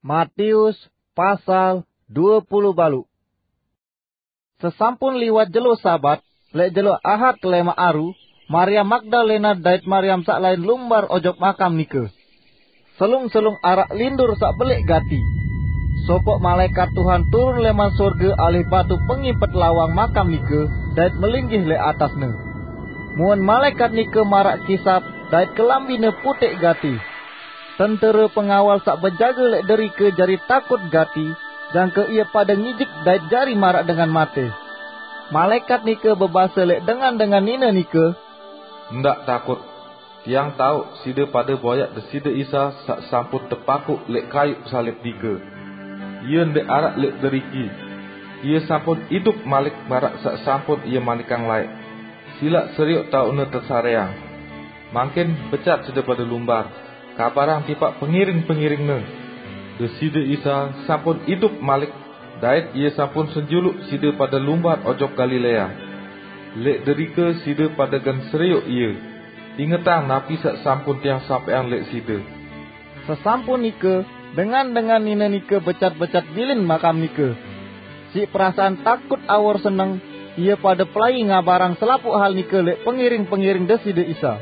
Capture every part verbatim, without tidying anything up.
Matius pasal dua puluh balu. Sesampun liwat jelo Sabat, lek jelo Ahad kelema aru, Maria Magdalena dait Mariam sak lain lumbar ojok makam nike. Selung-selung arak lindur sak belik gati. Sopok malaikat Tuhan turun leman sorga alih batu pengimpet lawang makam nike, dait melinggih lek atasne. Muen malaikat nike marak kisap, dait kelambine putik gati. Tentera pengawal sak bejaga lek derike jari takut gati, jangke ia pada ngijik dait jari marak dengan mate. Malaikat nike bebase lek dengan-dengan nine nike, "Ndak takut. Tiang tauk side pada boyak Deside Isa sak sampun tepakuk lek kayuk salib nike. Ia ndak arak lek deriki. Ia sampun idup malik marak sak sampun ia manikang laik. Silak seriuk taukne tesareang. Mangkin becat side pada lumbar, kabarang tipak pengiring-pengiringne. Deside Isa sampun idup malik, dait ia sampun senjuluk side pada lumbar ojok Galilea. Lek derike side pada gen seriuk ia. Ingetang napi sak sampun tiang sampeang lek side." Sesampun nike, dengan-dengan nine nike becat-becat bilin makam nike. Sik perasaan takut awor seneng, ia pada pelai ngabarang selapuk hal nike lek pengiring-pengiring Deside Isa.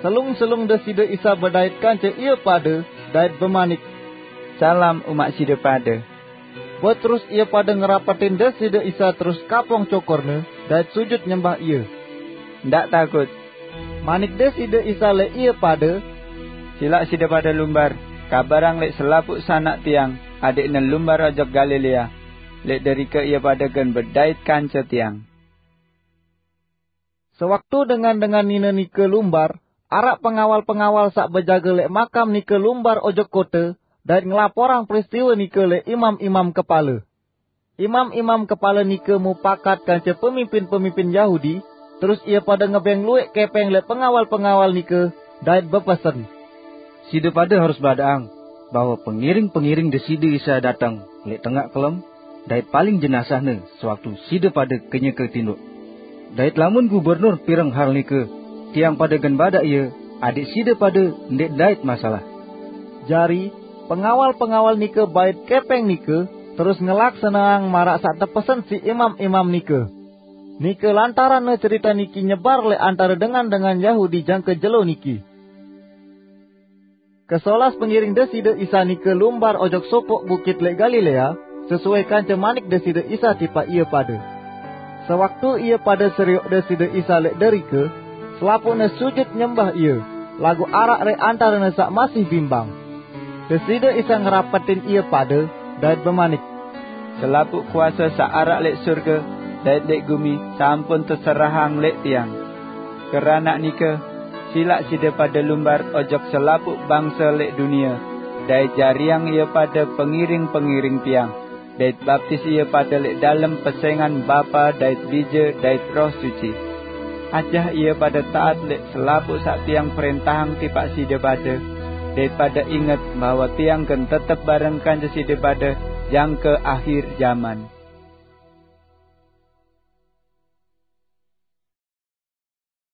Selung-selung Deside Isa bedait kance ia pada, dait bemanik, "Salam umak side pada." Beterus ia pada ngerapetin Deside Isa terus kapong cokorne, dait sujud nyembah ia. "Ndak takut," manik Deside Isa lek ia pada. "Silak side pada lumbar, kabarang lek selapuk sanak tiang, adikne lumbar ojok Galilea. Lek derike ia pada gen bedait kance tiang." Sewaktu dengan-dengan nine nike lumbar, arak pengawal-pengawal sak bejaga lek makam nike lumbar ojok kote, dait ngelaporang peristiwa nike lek imam-imam kepala. Imam-imam kepala nike mupakat kance pemimpin-pemimpin Yahudi, terus ia pada ngebeng luek kepeng lek pengawal-pengawal nike, dait bepesen, "Side pada harus badaang bahwa pengiring-pengiring Deside Isa dateng lek tengak kelem, dait paling jenazahne sewaktu side pada kenyeke tinduk. Dait lamun gubernur pireng hal nike, tiang pada gen badak ia, adik side pada ndeq ndait masalah." Jari, pengawal-pengawal nike bait kepeng nike, terus ngelaksaneang marak sak tepesen siq imam-imam nike. Nike lantaranne cerita niki nyebar lek antare dengan-dengan Yahudi jangke jelo niki. Kesolas pengiring Deside Isa nike lumbar ojok sopok bukit lek Galilea, sesuai kance manik Deside Isa tipaq ie pade. Sewaktu ie pade serioq Deside Isa lek derike, selapuqne sujut nyembah ie, laguq araq leq antarene saq masih bimbang. Deside Isa ngerapetin ie pade, dait bemanik, "Selapuq kuase saq araq leq surge dait leq gumi sampun teserahang leq Tiang. Keranaq nike, silaq side pade lumbar ojok selapuq bangse leq dunie, dait jariang ie pade pengiring-pengiring Tiang, dait baptis ie pade leq dalem pesengan Bapa dait Bije dait Roh Suci. Ajah ie pade taat leq selapuq saq Tiang prentahang tipaq side pade, dait pade inget bahwe Tiang gen tetep bareng kance side pade jangke ahir jaman."